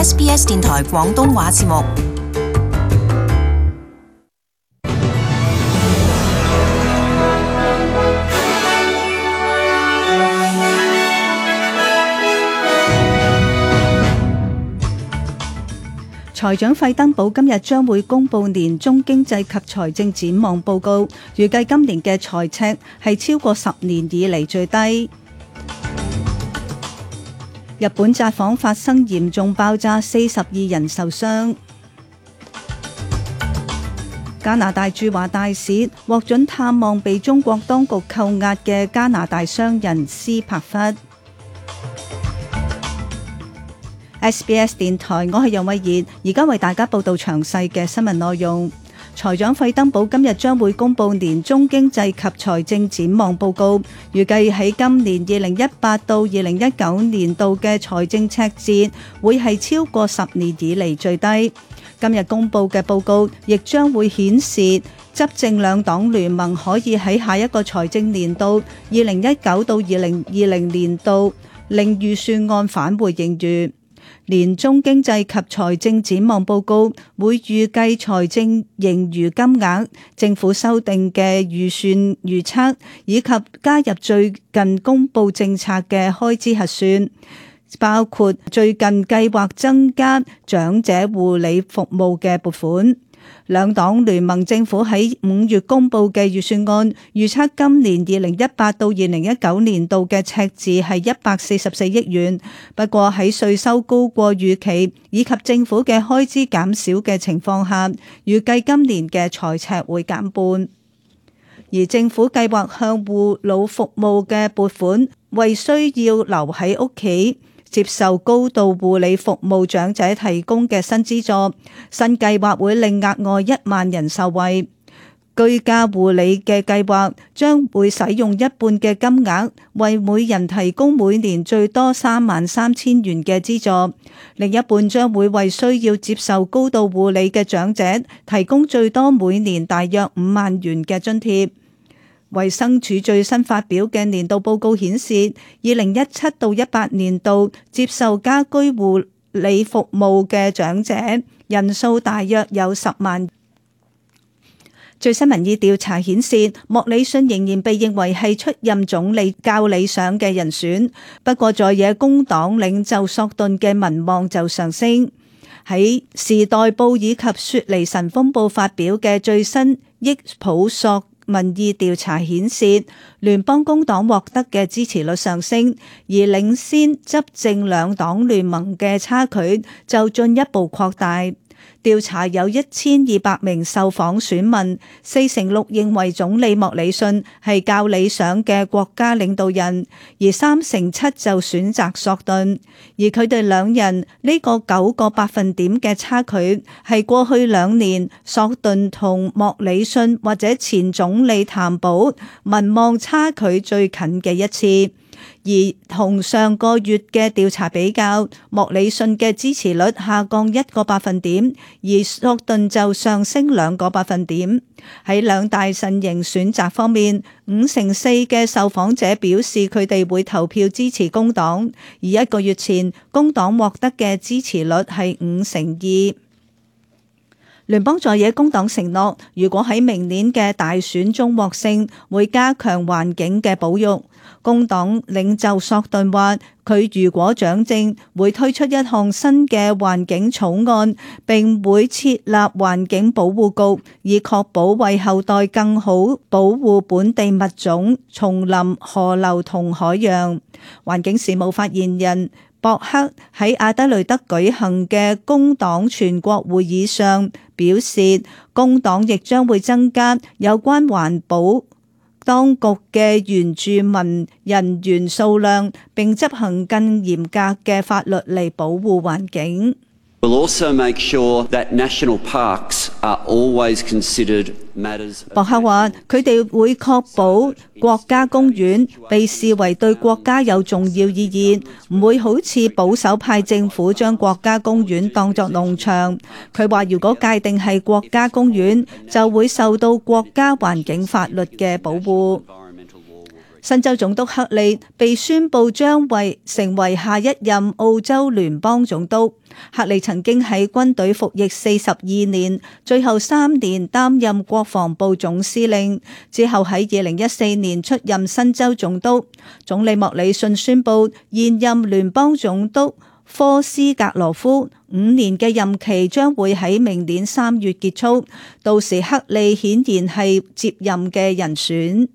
SBS 電台廣東話節目。財長費登堡今日將會公布年中經濟及財政展望報告，預計今年嘅財赤係超過10年以嚟最低。日本札幌發生嚴重爆炸，42人受傷。加拿大駐華大使獲准探望被中國當局扣押嘅加拿大商人斯帕弗。SBS 電台，我係楊慧儀，而家為大家報道詳細嘅新聞內容。財長費登堡今日將會公布年中經濟及財政展望報告，預計喺今年2018到2019年度嘅財政赤字會係超過10年以嚟最低。今日公布嘅報告亦將會顯示執政兩黨聯盟可以喺下一個財政年度2019到2020年度令預算案返回盈餘。年中經濟及財政展望報告會預計財政盈餘金額、政府修訂嘅預算預測以及加入最近公布政策嘅開支核算，包括最近計劃增加長者護理服務嘅撥款。兩黨聯盟政府喺5月公布嘅預算案預測今年2018到2019年度嘅赤字係144億元，不過喺稅收高過預期以及政府嘅開支減少嘅情況下，預計今年嘅財赤會減半。而政府計劃向護老服務嘅撥款，為需要留喺屋企接受高度護理服務長者提供嘅新資助，新計劃會令額外1萬人受惠。居家護理嘅計劃將會使用一半嘅金額，為每人提供每年最多33,000元嘅資助，另一半將會為需要接受高度護理嘅長者提供最多每年大約5萬元嘅津貼。衛生署最新發表嘅年度報告顯示，2017到18年度接受家居護理服務嘅長者人數大約有10萬。最新民意調查顯示，莫里遜仍然被認為係出任總理較理想嘅人選，不過在野工黨領袖索頓嘅民望就上升。喺時代報以及雪梨晨鋒報發表嘅最新益普索民意調查顯示，聯邦工黨獲得嘅支持率上升，而領先執政兩黨聯盟嘅差距就進一步擴大。調查有1200名受訪選民，46%認為總理莫里遜係較理想嘅國家領導人，而37%就選擇索頓。而佢哋兩人呢個9個百分點嘅差距，係過去2年索頓同莫里遜或者前總理譚寶民望差距最近嘅一次。而同上個月嘅調查比較，莫里遜嘅支持率下降1個百分點，而索頓就上升2個百分點。喺兩大陣營選擇方面，54%嘅受訪者表示佢哋會投票支持工黨，而1個月前工黨獲得嘅支持率係52%。聯邦在野工黨承諾，如果喺明年嘅大選中獲勝，會加強環境嘅保育。工黨領袖索頓話，佢如果掌政，會推出一項新嘅環境草案，並會設立環境保護局，以確保為後代更好保護本地物種、叢林、河流同海洋。環境事務發言人博克喺阿德雷德舉行嘅工黨全國會議上表示，工黨亦將會增加有關環保當局嘅原住民人員數量，並執行更嚴格嘅法律嚟保護環境。We'll also make sure that national parks are always considered matters. 博克話：佢哋會確保國家公園被視為對國家有重要意義，唔會好似保守派政府將國家公園當作農場。佢話：如果界定係國家公園，就會受到國家環境法律嘅保護。新州總督克利被宣布將成為下一任澳洲聯邦總督。克利曾經喺軍隊服役42年，最後3年擔任國防部總司令，之後喺2014年出任新州總督。總理莫里遜宣布現任聯邦總督科斯格羅夫5年嘅任期將會喺明年3月結束，到時克利顯然係接任嘅人選。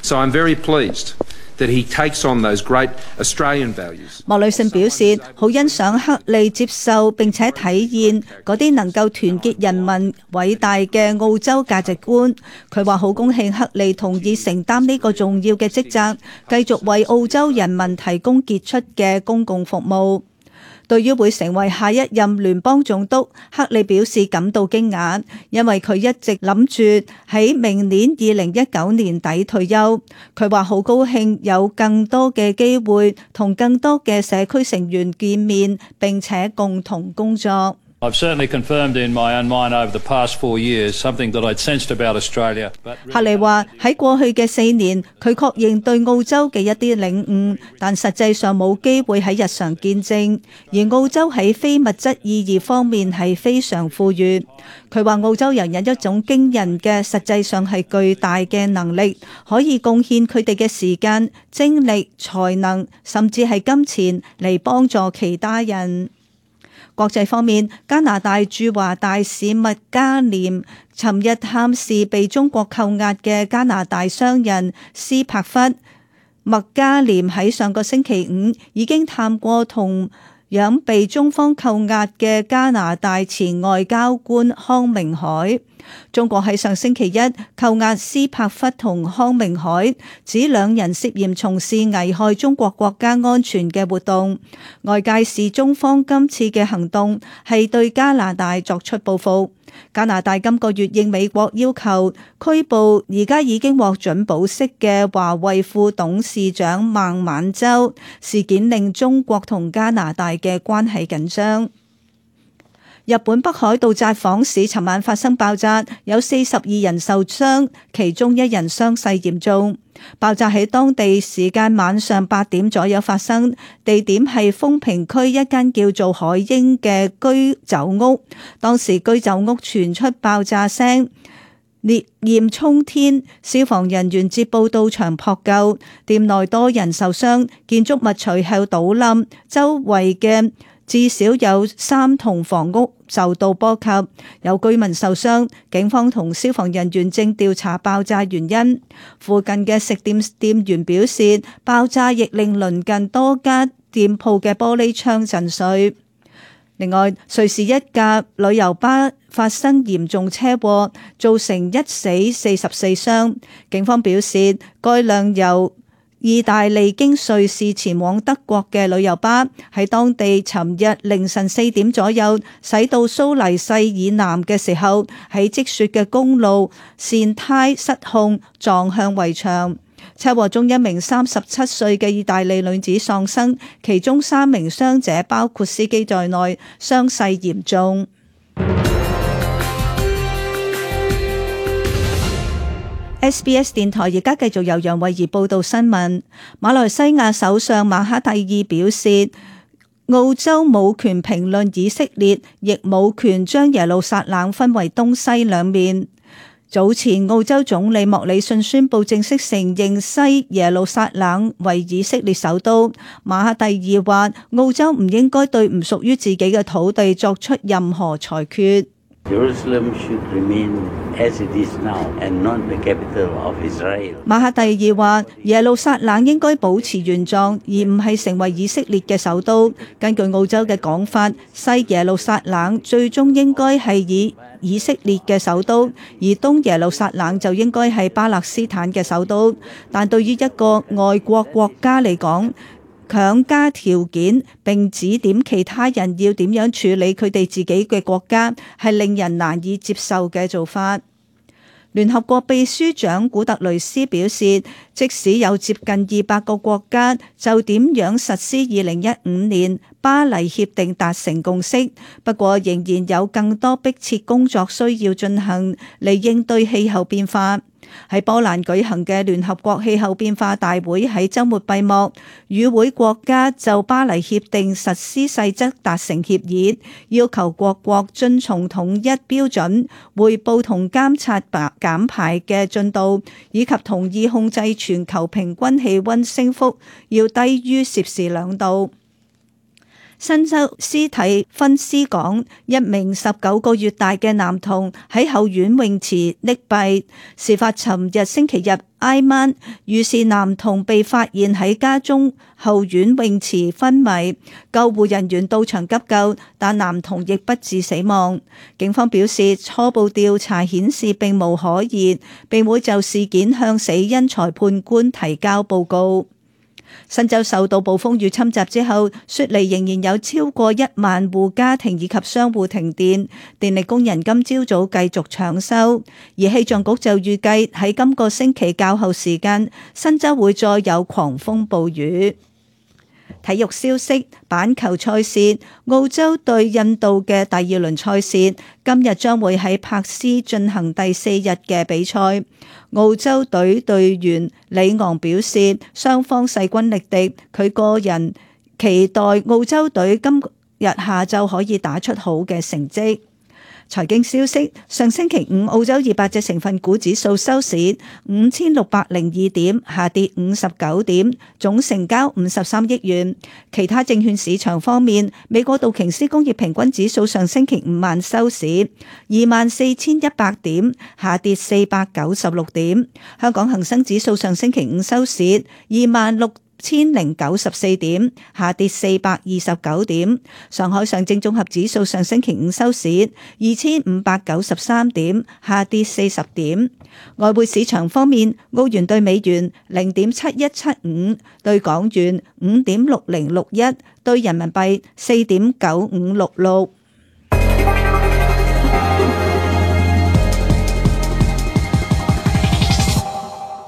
So I'm very pleased that he takes on those great Australian values. 莫里遜表示好欣賞克利接受並且體現嗰啲能夠團結人民偉大嘅澳洲價值觀。佢話好高興克利同意承擔呢個重要嘅職責，繼續為澳洲人民提供傑出嘅公共服務。對於會成為下一任聯邦總督，克利表示感到驚訝，因為佢一直諗住喺明年2019年底退休。佢話好高興有更多嘅機會同更多嘅社區成員見面，並且共同工作。I've certainly confirmed in my own mind over the past 4 years something that I'd sensed about Australia. 克利話喺過去嘅4年，佢確認對澳洲嘅一啲領悟，但實際上冇機會喺日常見證。而澳洲喺非物質意義方面係非常富裕。佢話澳洲人有一種驚人嘅，實際上係巨大嘅能力，可以貢獻佢哋嘅時間、精力、才能，甚至係金錢嚟幫助其他人。國際方面，加拿大駐華大使麥加廉尋日探視被中國扣押嘅加拿大商人斯帕弗。麥加廉喺上個星期5已經探過同樣被中方扣押嘅加拿大前外交官康明凱。中國喺上星期1扣押斯帕弗同康明凱，指兩人涉嫌從事危害中國國家安全嘅活動。外界視中方今次嘅行動係對加拿大作出報復。加拿大今個月應美國要求拘捕而家已經獲准保釋嘅華為副董事長孟晚舟，事件令中國同加拿大嘅關係緊張。日本北海道札幌市尋晚發生爆炸，有42人受傷，其中1人傷勢嚴重。爆炸喺當地時間晚上8點左右發生，地點係豐平區一間叫做海鷹嘅居酒屋。當時居酒屋傳出爆炸聲，烈焰衝天，消防人員接報到場撲救，店內多人受傷，建築物隨後倒冧，周圍嘅至少有3棟房屋受到波及，有居民受傷。警方同消防人員正調查爆炸原因。附近嘅食店店員表示，爆炸亦令鄰近多家店鋪嘅玻璃窗震碎。另外，瑞士一架旅遊巴發生嚴重車禍，造成1死44傷。警方表示，該輛由意大利經瑞士前往德國嘅旅遊巴喺當地尋日凌晨4點左右駛到蘇黎世以南嘅時候，喺積雪嘅公路舷胎失控撞向圍牆。車禍中1名37歲嘅意大利女子喪生，其中3名傷者包括司機在內，傷勢嚴重。SBS 電台而家繼續由楊慧儀報道新聞。馬來西亞首相馬哈蒂爾表示，澳洲冇權評論以色列，亦冇權將耶路撒冷分為東西兩面。早前澳洲總理莫里遜宣布正式承認西耶路撒冷為以色列首都。馬哈蒂爾話，澳洲唔應該對唔屬於自己嘅土地作出任何裁決。馬哈蒂爾話，耶路撒冷應該保持原狀，而唔係成為以色列嘅首都。根據澳洲嘅講法，西耶路撒冷最終應該係以色列嘅首都，而東耶路撒冷就應該係巴勒斯坦嘅首都。但對於一個外國國家嚟講，強加條件並指點其他人要點樣處理佢哋自己嘅國家，係令人難以接受嘅做法。聯合國秘書長古特雷斯表示，即使有接近200個國家就點樣實施2015年巴黎協定達成共識，不過仍然有更多迫切工作需要進行嚟應對氣候變化。喺波蘭舉行嘅聯合國氣候變化大會喺週末閉幕，與會國家就巴黎協定實施細則達成協議，要求各國遵從統一標準，匯報同監察減排嘅進度，以及同意控制全球平均氣溫升幅要低於攝氏2度。新州斯蒂芬斯港一名19個月大嘅男童喺後院泳池溺斃，事發尋日星期日挨晚，於是男童被發現喺家中後院泳池昏迷，救護人員到場急救，但男童亦不治死亡。警方表示，初步調查顯示並無可疑，並會就事件向死因裁判官提交報告。新州受到暴風雨侵襲之後，雪梨仍然有超過1萬戶家庭以及商戶停電，電力工人今朝早繼續搶修，而氣象局就預計喺今個星期較後時間，新州會再有狂風暴雨。體育消息，板球賽事，澳洲對印度嘅第2輪賽事今日將會喺珀斯進行第4日嘅比賽。澳洲隊隊員里昂表示，雙方勢均力敵，佢個人期待澳洲隊今日下晝可以打出好嘅成績。財經消息，上星期五澳洲200隻成分股指數收市5602點，下跌59點，總成交53億元。其他證券市場方面，美國道瓊斯工業平均指數上星期五晚收市24100點，下跌496點。香港恒生指數上星期五收市26094點，下跌429點。上海上證綜合指數上星期五收市2593點，下跌40點。外匯市場方面，澳元兌美元0.7175，兌港元5.6061，兌人民幣4.9566。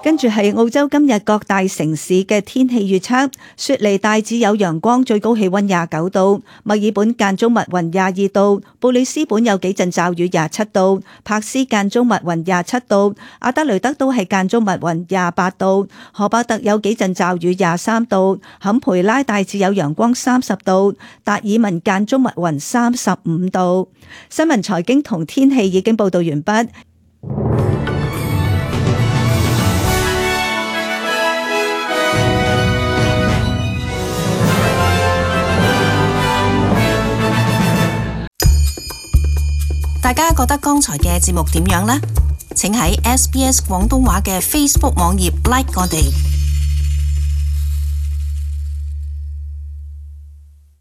跟住係澳洲今日各大城市嘅天氣預測：雪梨大致有陽光，最高氣溫29度；墨爾本間中密雲22度；布里斯本有幾陣驟雨27度；珀斯間中密雲27度；阿德雷德都係間中密雲28度；荷伯特有幾陣驟雨23度；坎培拉大致有陽光30度；達爾文間中密雲35度。新聞財經同天氣已經報道完畢。大家覺得剛才嘅節目點樣呢？請喺SBS 廣東話嘅 Facebook 網頁 like 我哋。